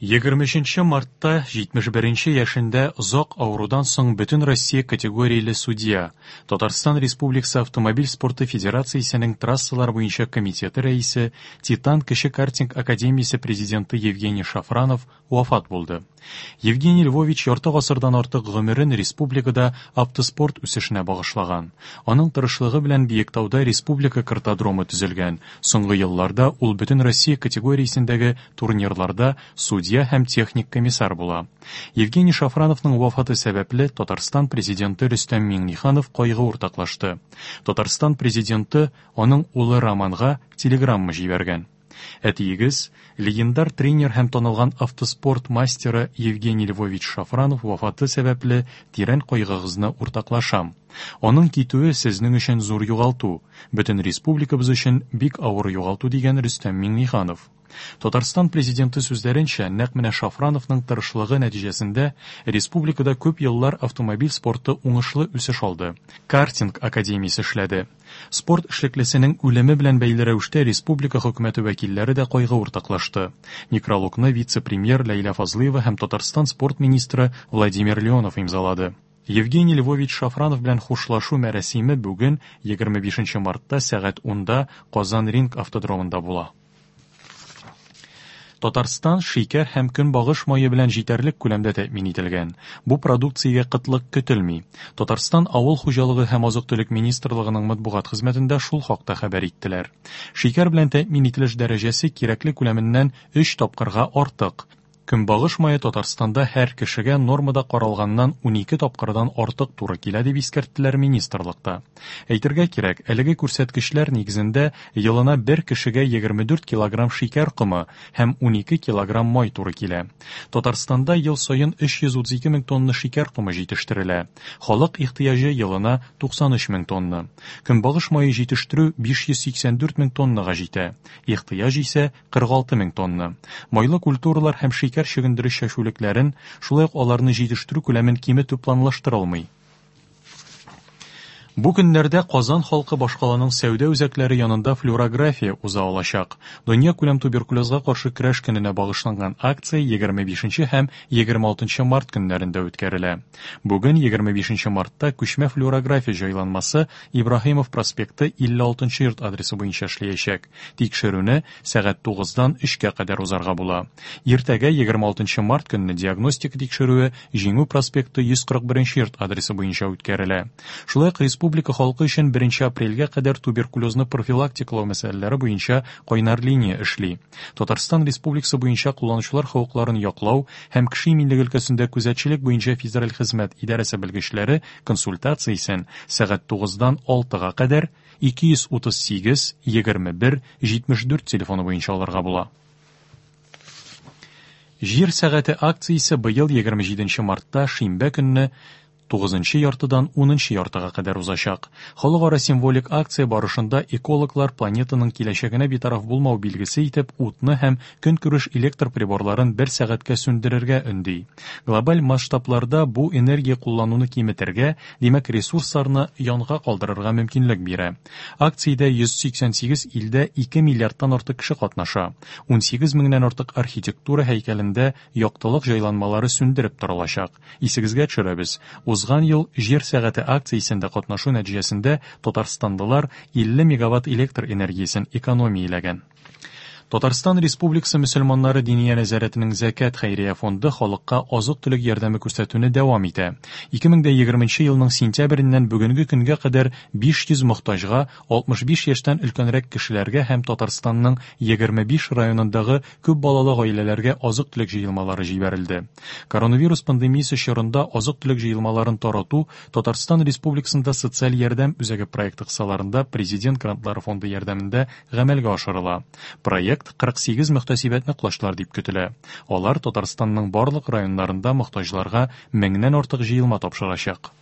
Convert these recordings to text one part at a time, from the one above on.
23 мартта 71 нче яшендә озак авырудан соң Бөтенроссия категорияле судья, Татарстан Республикасы Автомобиль спорты федерациясенең трассалар буенча комитеты рәисе, Титан кече картинг академиясе президенты Евгений Шафранов вафат булды. Евгений Львович ярты гасырдан артык гомерен республикада автоспорт үсешенә багышлаган. Аның тырышлыгы белән Биектауда республика картодромы төзелгән. Соңгы елларда ул Бөтенроссия категориясендәге турнирларда судья һәм техник комиссар була. Евгений Шафрановның вафаты сәбәпле Татарстан Президенты Рөстәм Миңнеханов кайгы уртаклашты. Татарстан Президенты аның улы Романга телеграмма җибәргән. Әтиегез, легендар тренер һәм танылган автоспорт мастеры Евгений Львович Шафранов вафаты сәбәпле тирән кайгыгызны уртаклашам. Аның китүе сезнең өчен зур югалту, бөтен республикабыз өчен бик авыр югалту, дигән Рөстәм Миңнеханов. Татарстан Президенты сүзләренчә, нәкъ менә Шафрановның тырышлыгы нәтиҗәсендә республикада күп еллар автомобиль спорты уңышлы үсеш алды, картинг академиясе эшләде. Спорт эшлеклесенең үлеме белән бәйле рәвештә республика хөкүмәте вәкилләре дә кайгы уртаклашты. Некрологны вице-премьер Ләйлә Фазлыева һәм Татарстан спорт министры Владимир Леонов имзалады. Евгений Львович Шафранов белән хушлашу мәрасиме бүген, 25 мартта сәгать унда Казан-Ринг автодромында була. Татарстан шикәр һәм көнбагыш мае белән җитәрлек күләмдә тәэмин ителгән. Бу продукциягә кытлык көтелми. Татарстан Авыл хуҗалыгы һәм азык-төлек министрлыгының матбугат хезмәтендә шул хакта хәбәр иттеләр. Шикәр белән тәэмин ителеш дәрәҗәсе кирәкле күләменнән өч тапкырга артык. Көнбагыш мае Татарстанда һәр кешегә нормада каралганнан 12 тапкырдан артык туры килә, дип искәрттеләр министрлыкта. Әйтергә кирәк, әлеге күрсәткечләр нигезендә елына бер кешегә 24 килограмм шикәр комы һәм 12 килограмм май туры килә. Татарстанда ел саен 332 мең тонна шикәр комы җитештерелә. Халык ихтыяҗы елына 93 мең тонна. Көнбагыш мае җитештерү 584 мең тоннага җитә. Ихтыяҗ исә 46 мең тонна. Майлы культуралар һәм шикәр чөгендере чәчүлекләрен, шулай ук аларны җитештерү күләмен киметү планлаштырылмый. Бу көннәрдә Казан халкы башкаланың сәүдә үзәкләре янында флюорография уза алачак. Дөньякүләм туберкулезга каршы көрәш көненә багышланган акция 25 һәм 26 март көннәрендә үткәрелә. Бүген, 25 мартта, күчмә флюорография җайланмасы Ибраһимов проспекты 56 нчы йорт адресы буенча эшләячәк. Тикшерүне сәгать тугыздан өчкә кадәр узарга була. Иртәгә, 26 нчы март көнне диагностика тикшерүе Җиңү проспекты 141 нче йорт адресы буенча үткәрелә. Шулай ук республика халкы өчен беренче апрельгә кадәр туберкулезны профилактикалау мәсьәләләре буенча кайнар линия эшли. Татарстан Республикасы буенча кулланучылар хокукларын яклау һәм кеше иминлеге өлкәсендә күзәтчелек буенча федераль хезмәт идарәсе белгечләре консультациясен сәгать тугыздан алтыга кадәр 238 21 74 телефоны буенча алырга була. Җир сәгате акциясе быел 27 мартта шимбә көнне тугызынчы яртыдан унынчы яртыга кадәр узачак. Халыкара символик акция барышында экологлар планетаның киләчәгенә битараф булмау билгесе итеп утны һәм көнкүреш электр приборларын бер сәгатькә сүндерергә өнди. Глобаль масштабларда бу энергия куллануны киметергә, димәк, ресурсларны янга калдырырга мөмкинлек бирә. Акциядә 188 илдә 2 миллиардтан артык кеше катнаша. 18 меңнән артык архитектура һәйкәлендә яктылык җайланмалары сүндереп торылачак. Исегезгә төшерәбез, узган ел Җир сәгате акциясендә катнашу нәтиҗәсендә татарстанлылар 50 мегаватт электр энергиясен экономияләгән. Татарстан Республикасы мөселманнары Диния нәзарәтенең Зәкят хәйрия фонды халыкка азык-төлек ярдәме күрсәтүне дәвам итә. 2020 елның сентябреннән бүгенге көнгә кадәр 500 мохтаҗга, 65 яшьтән өлкәнрәк кешеләргә һәм Татарстанның 25 районындагы күп балалы гаиләләргә азык-төлек җыелмалары җибәрелде. Коронавирус пандемиясе чорында азык-төлек җыелмаларын тарату Татарстан Республикасында социаль ярдәм үзәге проекты кысаларында Президент грантлары фонды ярдәмендә гамәлгә ашырыла. Проект 48 мөхтәсибәтне колачлар дип көтелә. Алар Татарстанның барлык районнарында мохтаҗларга меңнән артык җыелма тапшырачак.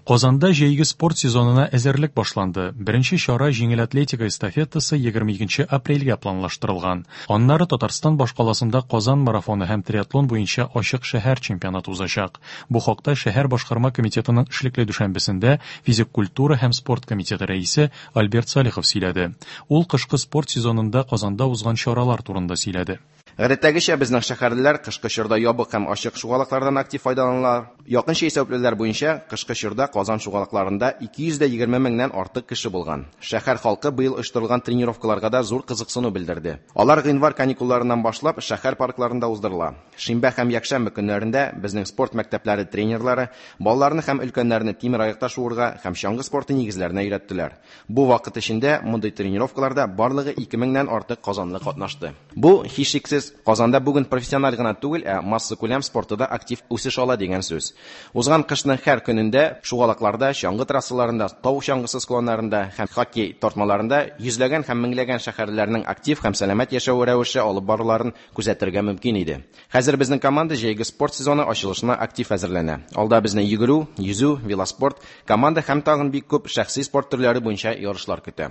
Казанда җәйге спорт сезонына әзерлек башланды. Беренче чара җиңел атлетика эстафетасы 22 апрельгә планлаштырылган. Аннары Татарстан башкаласында Казан марафоны һәм триатлон буенча ачык шәһәр чемпионаты узачак. Бу хакта шәһәр башкарма комитетының эшлекле дүшәмбесендә физик культура һәм спорт комитеты рәисе Альберт Салихов сөйләде. Ул кышкы спорт сезонында Казанда узган чаралар турында сөйләде. Гадәттәгечә, безнең шәһәрлеләр кышкы чорда ябык һәм ачык шугалаклардан актив файдаланалар. Якынча исәпләүләр буенча, кышкы чорда Казан шугалакларында 220 меңнән артык кеше булган. Шәһәр халкы быел оештырылган тренировкаларга да зур кызыксыну белдерде. Алар гыйнвар каникулларыннан башлап шәһәр паркларында уздырыла. Шимбә һәм якшәмбе көннәрендә безнең спорт мәктәпләре тренерлары балаларны һәм өлкәннәрне тимераякта шуырга һәм чаңгы спорты нигезләренә өйрәттеләр. Бу вакыт эчендә мондый тренировкаларда барлыгы 2 меңнән артык казанлы катнашты. Бу, һичшиксез, Казанда бүген профессиональ гына түгел, ә массакүләм спорты да актив үсеш ала дигән сүз. Узган кышның һәр көнендә шугалакларда, чаңгы трассаларында, тау чаңгысы склоннарында һәм хоккей тартмаларында йөзләгән һәм меңләгән шәһәрлеләрнең актив һәм сәламәт яшәү рәвеше алып баруларын күзәтергә мөмкин иде. Хәзер безнең команда җәйге спорт сезоны ачылышына актив әзерләнә. Алда безне йөгерү, йөзү, велоспорт, команда һәм тагын бик күп шәхси спорт төрләре буенча ярышлар көтә.